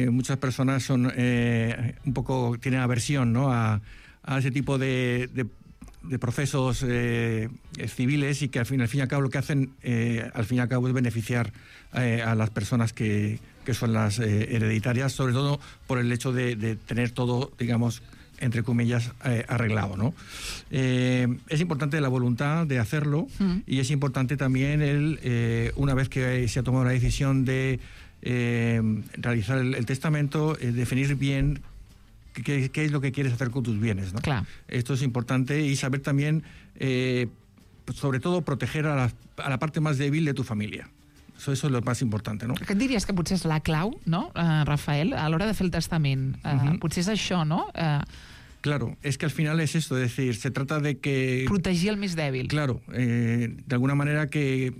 muchas personas son un poco, tienen aversión, ¿no? a ese tipo de procesos civiles, y que al fin y al cabo lo que hacen al fin y al cabo es beneficiar a las personas que son las hereditarias, sobre todo por el hecho de tener todo, digamos, entre comillas, arreglado, ¿no? Es importante la voluntad de hacerlo, y es importante también una vez que se ha tomado la decisión de realizar el testamento, definir bien qué es lo que quieres hacer con tus bienes, ¿no? Claro. Esto es importante, y saber también, sobre todo, proteger a la parte más débil de tu familia. Eso es lo más importante, ¿no? Què et diries que potser és la clau, no, Rafael, a l'hora de fer el testament? Potser és això, no? Claro, es que al final es esto, es decir, se trata de que... Protegir el més dèbil. Claro, de alguna manera que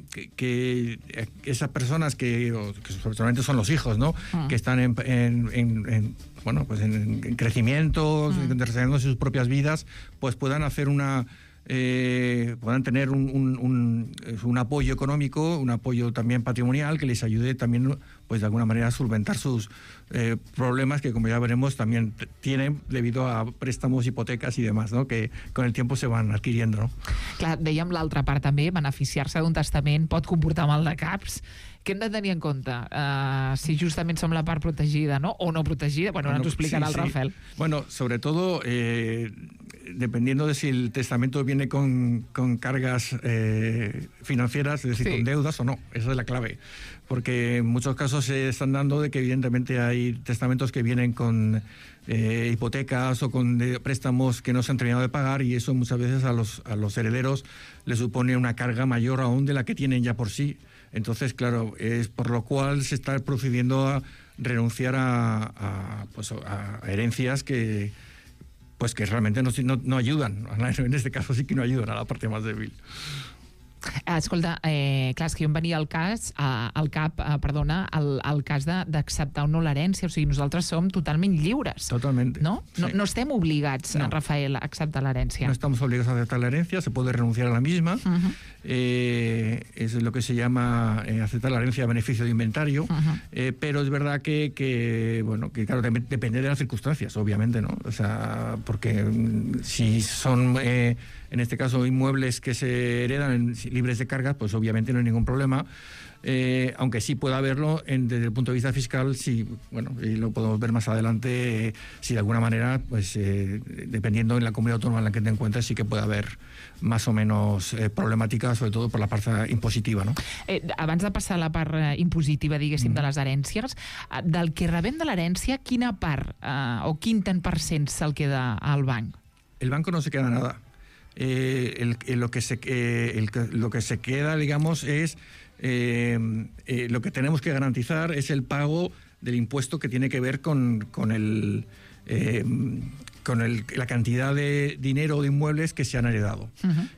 esas personas que solamente son los hijos, ¿no? Que están en crecimiento, desarrollando sus propias vidas, pues puedan hacer puedan tener un apoyo económico, un apoyo también patrimonial, que les ayude también, pues de alguna manera, a solventar sus problemas, que como ya veremos también tienen debido a préstamos, hipotecas y demás, ¿no? Que con el tiempo se van adquiriendo, ¿no? Clar, dèiem l'altra part també, beneficiar-se d'un testament pot comportar mal de caps. Què hem de tenir en compte? Si justament som la part protegida, no? O no protegida. Bueno, ara ens ho explicarà el Rafael. Bueno, sobre todo, dependiendo de si el testamento viene con cargas financieras, es decir, con deudas o no. Esa es la clave. Porque en muchos casos se están dando de que evidentemente hay testamentos que vienen con hipotecas o con préstamos que no se han terminado de pagar, y eso muchas veces a los herederos les supone una carga mayor aún de la que tienen ya por sí. Entonces, claro, es por lo cual se está procediendo a renunciar a herencias que realmente no ayudan. En este caso sí que no ayudan a la parte más débil. Escolta, clar, és que em venia al cas d'acceptar o no l'herència. O sigui, nosaltres som totalment lliures. Totalmente. ¿No? Sí. No estem obligats, Rafael, a acceptar l'herència. No estamos obligados a aceptar la herencia, se puede renunciar a la misma. Es lo que se llama aceptar la herencia a beneficio de inventario. Pero es verdad que claro, también depende de las circunstancias, obviamente, ¿no? O sea, porque si son, en este caso, inmuebles que se heredan libres de cargas, pues obviamente no hay ningún problema. Aunque sí puede haberlo desde el punto de vista fiscal, sí, y lo podemos ver más adelante, si de alguna manera, pues dependiendo en la comunidad autónoma en la que te encuentres, sí que puede haber más o menos problemàtica, sobre todo por la part impositiva, no? Abans de passar a la part impositiva, diguéssim, de les herències, del que rebem de l'herència, quina part o quin tant % se'l queda al banc? El banco no se queda nada. Lo que se queda, digamos, es lo que tenemos que garantizar es el pago del impuesto que tiene que ver con la cantidad de dinero o de inmuebles que se han heredado.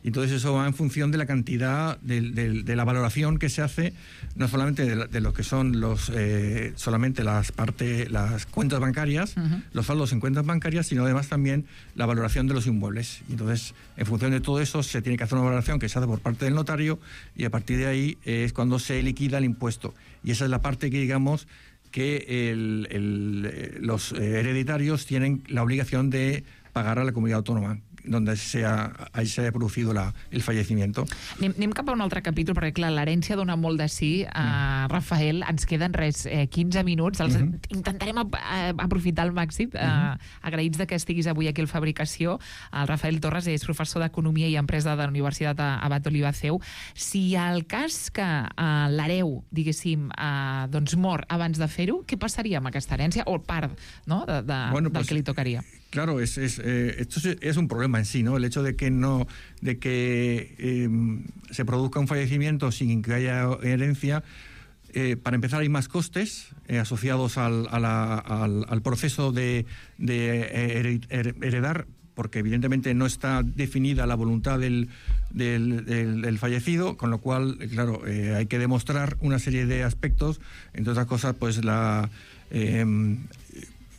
Y entonces eso va en función de la cantidad de la valoración que se hace, no solamente de lo que son solamente las cuentas bancarias, los saldos en cuentas bancarias, sino además también la valoración de los inmuebles. Y entonces, en función de todo eso, se tiene que hacer una valoración que se hace por parte del notario, y a partir de ahí es cuando se liquida el impuesto. Y esa es la parte que, digamos, que los hereditarios tienen la obligación de pagar a la comunidad autónoma. donde se haya producido el fallecimiento. Anem cap a un altre capítol, perquè clar, l'herència dona molt de sí. Rafael, ens queden 15 minuts, els intentarem aprofitar al màxim. Agraïts de que estiguis avui aquí al Fabricació. El Rafael Torres és professor d'Economia i Empresa de la Universitat Abat Olivaceu. Si el cas que l'hereu, diguéssim, doncs mor abans de fer-ho, què passaria amb aquesta herència? O part, no?, del que li tocaria. Claro, esto es un problema en sí, ¿no? El hecho de que se produzca un fallecimiento sin que haya herencia. Para empezar, hay más costes asociados al proceso de heredar, porque evidentemente no está definida la voluntad del fallecido, con lo cual, claro, hay que demostrar una serie de aspectos, entre otras cosas, pues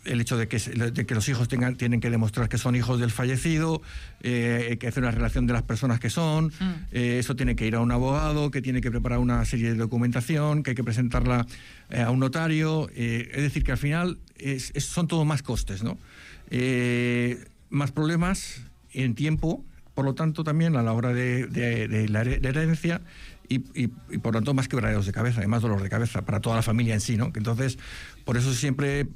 el hecho de que los hijos tienen que demostrar que son hijos del fallecido, hay que hacer una relación de las personas que son, eso tiene que ir a un abogado, que tiene que preparar una serie de documentación, que hay que presentarla a un notario, es decir, que al final son todo más costes, ¿no? Más problemas en tiempo, por lo tanto también a la hora de la herencia, y por lo tanto más quebraderos de cabeza, y más dolor de cabeza para toda la familia en sí, ¿no? Entonces, por eso siempre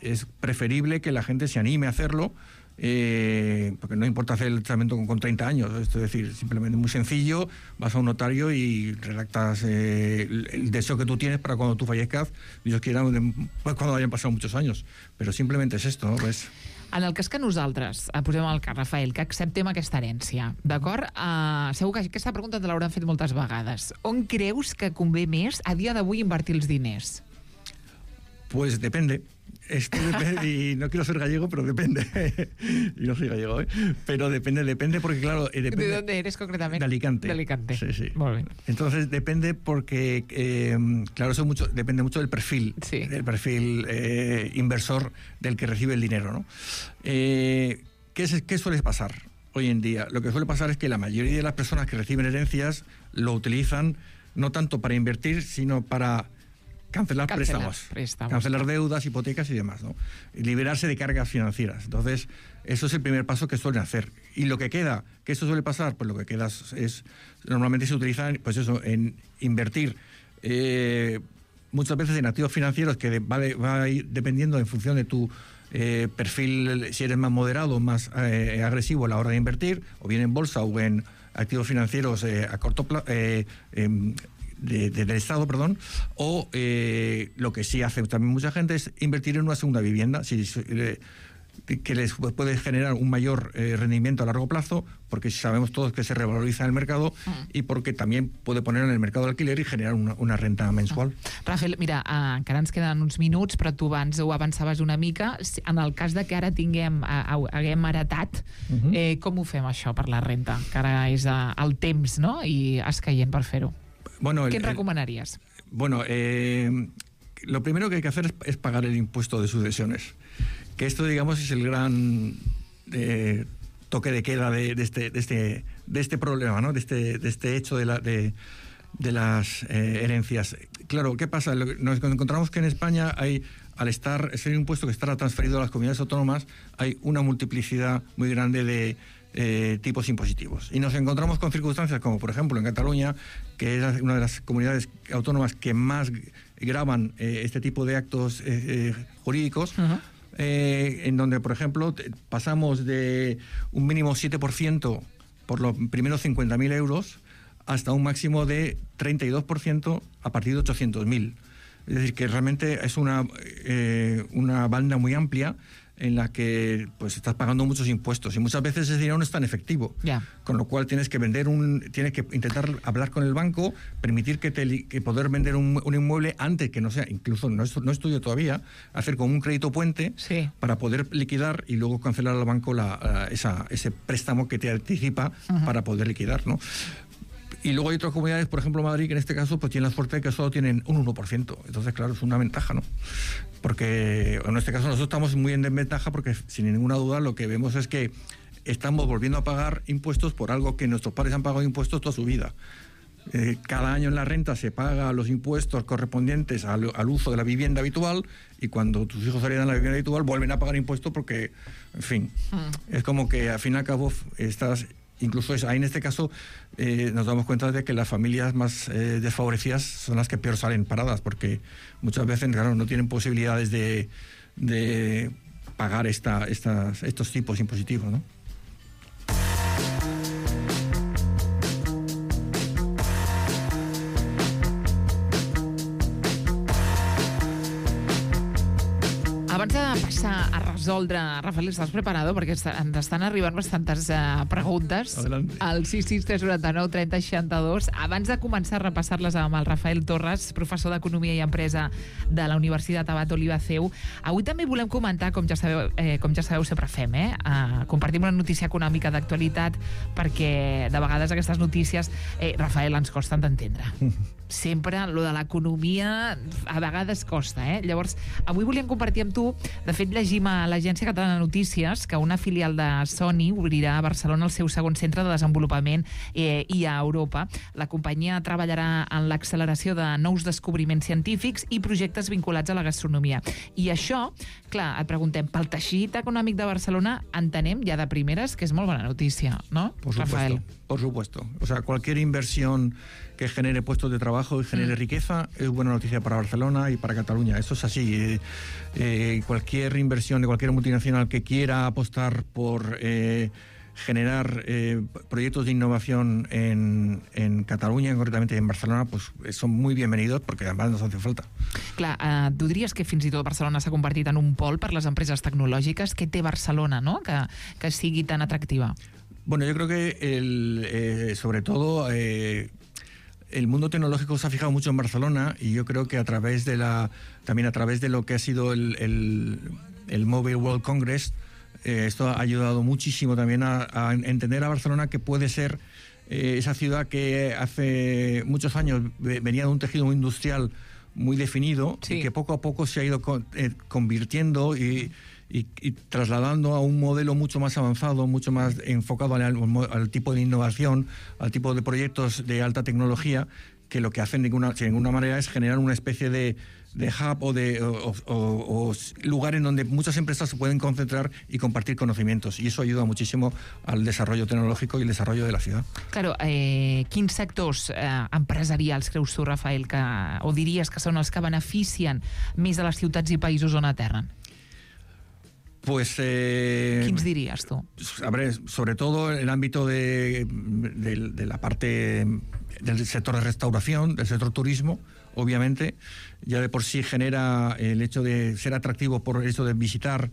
es preferible que la gente se anime a hacerlo, porque no importa hacer el testamento con 30 años, es decir, simplemente muy sencillo, vas a un notario y redactas el deseo que tú tienes para cuando tú fallezcas, Dios quiera, cuando hayan pasado muchos años, pero simplemente es esto, ¿no? Pues, en el cas que nosaltres posem el cas, Rafael, que acceptem aquesta herència, d'acord? Segur que aquesta pregunta te l'hauran fet moltes vegades. On creus que convé més a dia d'avui invertir els diners? Pues depende. Y no quiero ser gallego, pero depende. Y no soy gallego, ¿eh? Pero depende porque, claro... Depende. ¿De dónde eres concretamente? De Alicante. De Alicante. Sí. Muy bien. Entonces depende porque, claro, eso depende mucho del perfil, sí, del perfil inversor del que recibe el dinero, ¿no? ¿Qué suele pasar hoy en día? Lo que suele pasar es que la mayoría de las personas que reciben herencias lo utilizan no tanto para invertir, sino para... Cancelar préstamos, cancelar deudas, hipotecas y demás, ¿no? Y liberarse de cargas financieras. Entonces, eso es el primer paso que suelen hacer. Y lo que queda, que eso suele pasar, pues lo que queda normalmente se utiliza, pues eso, en invertir muchas veces en activos financieros que va a ir dependiendo en función de tu perfil, si eres más moderado o más agresivo a la hora de invertir, o bien en bolsa o en activos financieros a corto plazo, del Estado, perdón, o lo que sí hace también mucha gente es invertir en una segunda vivienda, que les puede generar un mayor rendimiento a largo plazo, porque sabemos todos que se revaloriza en el mercado y porque también puede poner en el mercado de alquiler y generar una renta mensual. Rafael, mira, encara ens queden uns minuts, però tu abans ho avançaves una mica. En el cas de que ara haguem heretat, com ho fem això per la renta? Que ara és el temps, no?, i escaient per fer-ho. Bueno, ¿qué recomendarías? Bueno, lo primero que hay que hacer es pagar el impuesto de sucesiones. Que esto, digamos, es el gran toque de queda de este problema, ¿no? De este hecho de las herencias. Claro, ¿qué pasa? Nos encontramos que en España al ser un impuesto que está transferido a las comunidades autónomas, hay una multiplicidad muy grande de tipos impositivos. Y nos encontramos con circunstancias como, por ejemplo, en Cataluña, que es una de las comunidades autónomas que más gravan este tipo de actos jurídicos, en donde, por ejemplo, pasamos de un mínimo 7% por los primeros 50.000 euros hasta un máximo de 32% a partir de 800.000. Es decir, que realmente es una banda muy amplia en la que pues estás pagando muchos impuestos y muchas veces ese dinero no es tan efectivo. Con lo cual tienes que tienes que intentar hablar con el banco, permitir que poder vender un inmueble antes que no sea, incluso no es tuyo todavía, hacer como un crédito puente para poder liquidar y luego cancelar al banco ese préstamo que te anticipa para poder liquidar, ¿no? Y luego hay otras comunidades, por ejemplo Madrid, que en este caso pues tiene la suerte de que solo tienen un 1%. Entonces, claro, es una ventaja, ¿no? Porque en este caso nosotros estamos muy en desventaja porque, sin ninguna duda, lo que vemos es que estamos volviendo a pagar impuestos por algo que nuestros padres han pagado impuestos toda su vida. Cada año en la renta se paga los impuestos correspondientes al uso de la vivienda habitual, y cuando tus hijos heredan la vivienda habitual vuelven a pagar impuestos porque, en fin, es como que al fin y al cabo incluso ahí en este caso nos damos cuenta de que las familias más desfavorecidas son las que peor salen paradas, porque muchas veces, claro, no tienen posibilidades de pagar estos tipos impositivos, ¿no? Abans de passar a resoldre, Rafael, estàs preparado? Perquè ens estan arribant bastantes preguntes. Adelante. Al 66399 3062. Abans de començar a repassar-les amb el Rafael Torres, professor d'Economia i Empresa de la Universitat Abat Oliba CEU, avui també volem comentar, com ja sabeu sempre fem, compartim una notícia econòmica d'actualitat, perquè de vegades aquestes notícies, Rafael, ens costen d'entendre. Sempre, lo de l'economia a vegades costa, Llavors, avui volíem compartir amb tu, de fet llegim a l'Agència Catalana de Notícies que una filial de Sony obrirà a Barcelona el seu segon centre de desenvolupament i a Europa. La companyia treballarà en l'acceleració de nous descobriments científics i projectes vinculats a la gastronomia. I això, clar, et preguntem, pel teixit econòmic de Barcelona entenem ja de primeres que és molt bona notícia, ¿no, Rafael? Por supuesto. O sea, cualquier inversión que genere puestos de trabajo y genere riqueza es buena noticia para Barcelona y para Cataluña. Eso es así. Cualquier inversión de cualquier multinacional que quiera apostar por generar proyectos de innovación en Catalunya, concretamente en Barcelona, pues son muy bienvenidos, porque además nos hace falta. Clar, tu diries que fins i tot Barcelona s'ha convertit en un pol per les empreses tecnològiques. Què té Barcelona, no?, que sigui tan atractiva? Bueno, yo creo que sobre todo el mundo tecnológico se ha fijado mucho en Barcelona, y yo creo que también a través de lo que ha sido el Mobile World Congress, esto ha ayudado muchísimo también a entender a Barcelona, que puede ser esa ciudad que hace muchos años venía de un tejido industrial muy definido, sí, y que poco a poco se ha ido convirtiendo y trasladando a un modelo mucho más avanzado, mucho más enfocado al tipo de innovación, al tipo de proyectos de alta tecnología, que lo que hacen de ninguna manera es generar una especie de hub o lugar en donde muchas empresas se pueden concentrar y compartir conocimientos, y eso ayuda muchísimo al desarrollo tecnológico y el desarrollo de la ciudad. Claro, quins sectors empresarials creus tu, Rafael, o diries que són els que beneficien més de les ciutats i països on aterren? Pues ¿Quins dirías tú? A ver, sobre todo el ámbito de la parte del sector de restauración, del sector turismo, obviamente, ya de por sí genera el hecho de ser atractivo por el hecho de visitar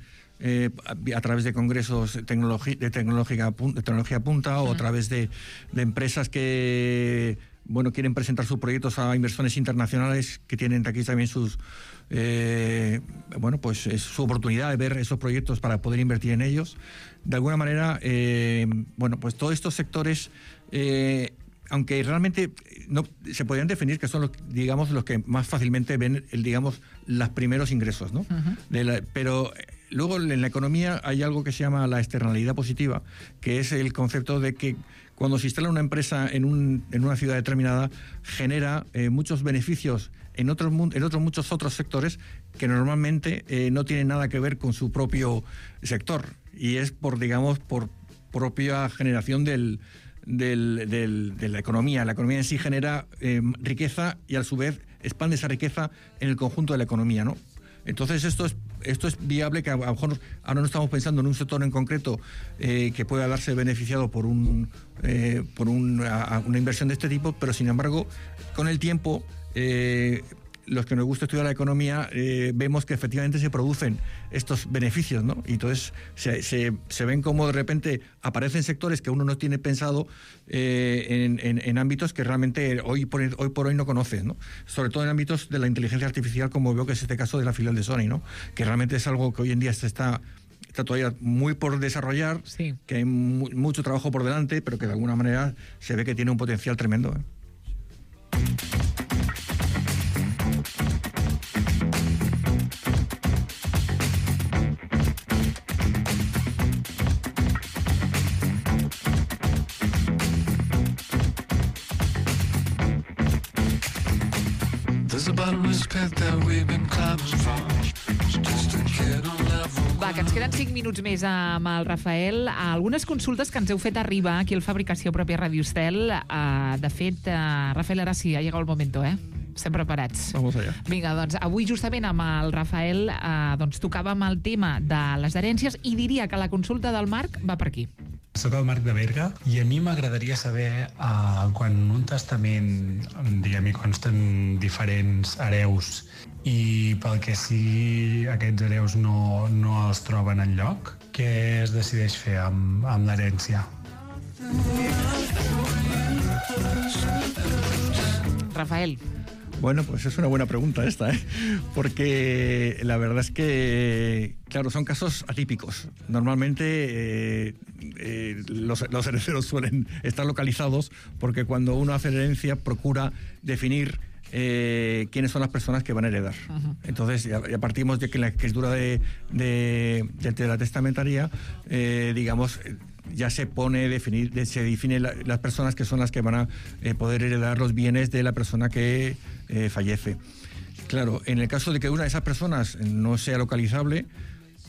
a través de congresos de tecnología punta, o a través de empresas que quieren presentar sus proyectos a inversores internacionales, que tienen aquí también es su oportunidad de ver esos proyectos para poder invertir en ellos. De alguna manera, pues todos estos sectores, aunque realmente no se podrían definir que son los que más fácilmente ven los primeros ingresos, ¿no? Pero luego en la economía hay algo que se llama la externalidad positiva, que es el concepto de que cuando se instala una empresa en una ciudad determinada, genera muchos beneficios en muchos otros sectores que normalmente no tienen nada que ver con su propio sector, y es por propia generación de la economía. La economía en sí genera riqueza, y a su vez expande esa riqueza en el conjunto de la economía, ¿no? Entonces esto es viable, que a lo mejor ahora no estamos pensando en un sector en concreto que pueda darse beneficiado por una inversión de este tipo, pero sin embargo, con el tiempo, los que nos gusta estudiar la economía, vemos que efectivamente se producen estos beneficios, ¿no? Y entonces se ven como de repente aparecen sectores que uno no tiene pensado en ámbitos que realmente hoy por hoy no conoces, ¿no? Sobre todo en ámbitos de la inteligencia artificial, como veo que es este caso de la filial de Sony, ¿no? Que realmente es algo que hoy en día está todavía muy por desarrollar, sí, que hay mucho trabajo por delante, pero que de alguna manera se ve que tiene un potencial tremendo, ¿eh? Va, que ens queden 5 minuts més amb el Rafael. Algunes consultes que ens heu fet arribar aquí al Fabricació Pròpia Radio Estel. De fet, Rafael, ara sí, ha llegat el momento, Estem preparats. Vamos allá. Vinga, doncs, avui justament amb el Rafael tocàvem el tema de les herències i diria que la consulta del Marc va per aquí. Soc el Marc de Berga i a mi m'agradaria saber quan en un testament, diguem-hi, consten diferents hereus i pel que sigui aquests hereus no els troben enlloc, què es decideix fer amb l'herència? Rafael. Bueno, pues es una buena pregunta esta, porque la verdad es que, claro, son casos atípicos. Normalmente los herederos suelen estar localizados porque cuando uno hace herencia procura definir quiénes son las personas que van a heredar. Uh-huh. Entonces, ya partimos de que en la escritura de la testamentaria, digamos, ya se se define las personas que son las que van a poder heredar los bienes de la persona que fallece. Claro, en el caso de que una de esas personas no sea localizable,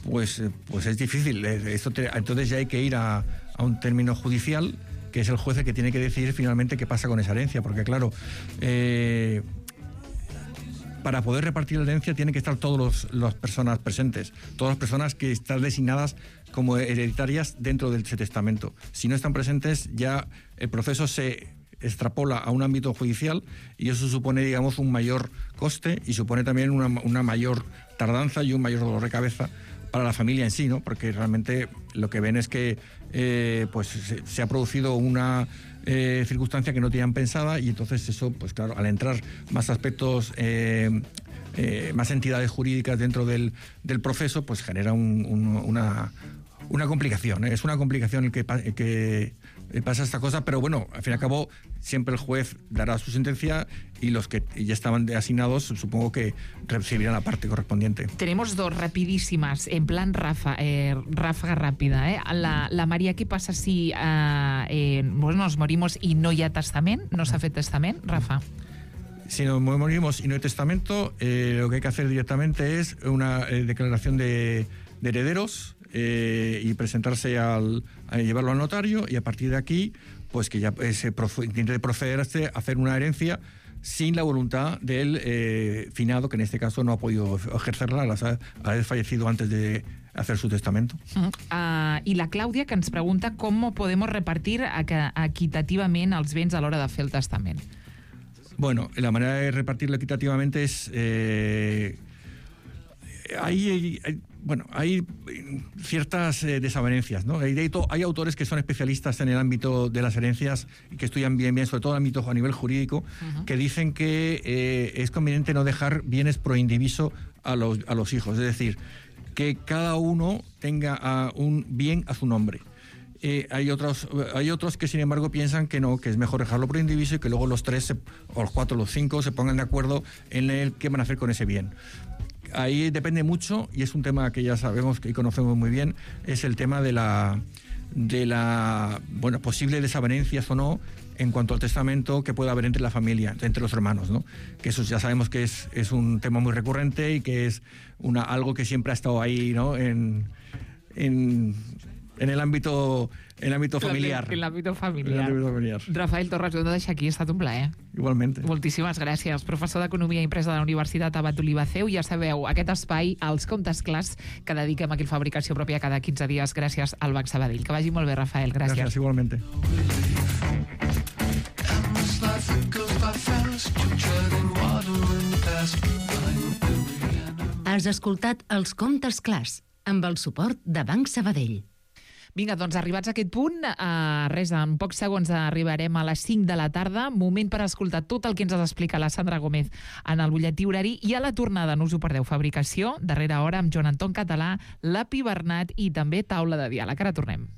pues es difícil. Entonces ya hay que ir a un término judicial, que es el juez el que tiene que decidir finalmente qué pasa con esa herencia, porque claro, para poder repartir la herencia tienen que estar todas las personas presentes, todas las personas que están designadas como hereditarias dentro de ese testamento. Si no están presentes, ya el proceso se extrapola a un ámbito judicial y eso supone, digamos, un mayor coste y supone también una mayor tardanza y un mayor dolor de cabeza para la familia en sí, ¿no? Porque realmente lo que ven es que se ha producido una circunstancia que no tenían pensada y entonces eso, pues claro, al entrar más aspectos, más entidades jurídicas dentro del proceso, pues genera una complicación. Es una complicación el que pasa esta cosa, pero bueno, al fin y al cabo siempre el juez dará su sentencia y los que ya estaban asignados supongo que recibirán la parte correspondiente. Tenemos dos rapidísimas, en plan ráfaga rápida. La María, ¿qué pasa si nos morimos y no hi ha testament? No s'ha fet testament, Rafa? Si nos morimos y no hay testamento, lo que hay que hacer directamente es una declaración de herederos y presentarse a llevarlo al notario y a partir de aquí pues que ya se intente procederse a hacer una herencia sin la voluntad del finado, que en este caso no ha podido ejercerla al haber fallecido antes de hacer su testamento. I la Clàudia, que ens pregunta com podem repartir equitativament els béns a l'hora de fer el testament. Bueno, la manera de repartirlo equitativamente es... hay ciertas desavenencias, ¿no? Hay autores que son especialistas en el ámbito de las herencias y que estudian bien, sobre todo el ámbito a nivel jurídico, uh-huh, que dicen que es conveniente no dejar bienes pro indiviso a los hijos, es decir, que cada uno tenga un bien a su nombre. Hay otros que sin embargo piensan que no, que es mejor dejarlo por indiviso y que luego los 3 o los 4 o los 5 se pongan de acuerdo en el qué van a hacer con ese bien. Ahí depende mucho y es un tema que ya sabemos y conocemos muy bien, es el tema de la posible desavenencias o no en cuanto al testamento que pueda haber entre la familia, entre los hermanos, ¿no? Que eso ya sabemos que es un tema muy recurrente y que es algo que siempre ha estado ahí, ¿no? En el ámbito familiar. En l'àmbit familiar. Rafael Torres, ho hem de deixar aquí, ha estat un plaer. Igualment. Moltíssimes gràcies. Professor d'Economia i Empresa de la Universitat Abat Olivaceu. Ja sabeu, aquest espai, als comptes clars, que dediquem aquí a Fabricació Pròpia cada 15 dies, gràcies al Banc Sabadell. Que vagi molt bé, Rafael. Gràcies. Gràcies, igualmente. Has escoltat Els Comptes Clars, amb el suport de Banc Sabadell. Vinga, doncs arribats a aquest punt, en pocs segons arribarem a les 5 de la tarda, moment per escoltar tot el que ens ha d'explicar la Sandra Gómez en el butlletí horari i a la tornada, no us ho perdeu, Fabricació, darrera hora amb Joan Anton Català, Lapi Bernat i també Taula de Diàleg. Ara tornem.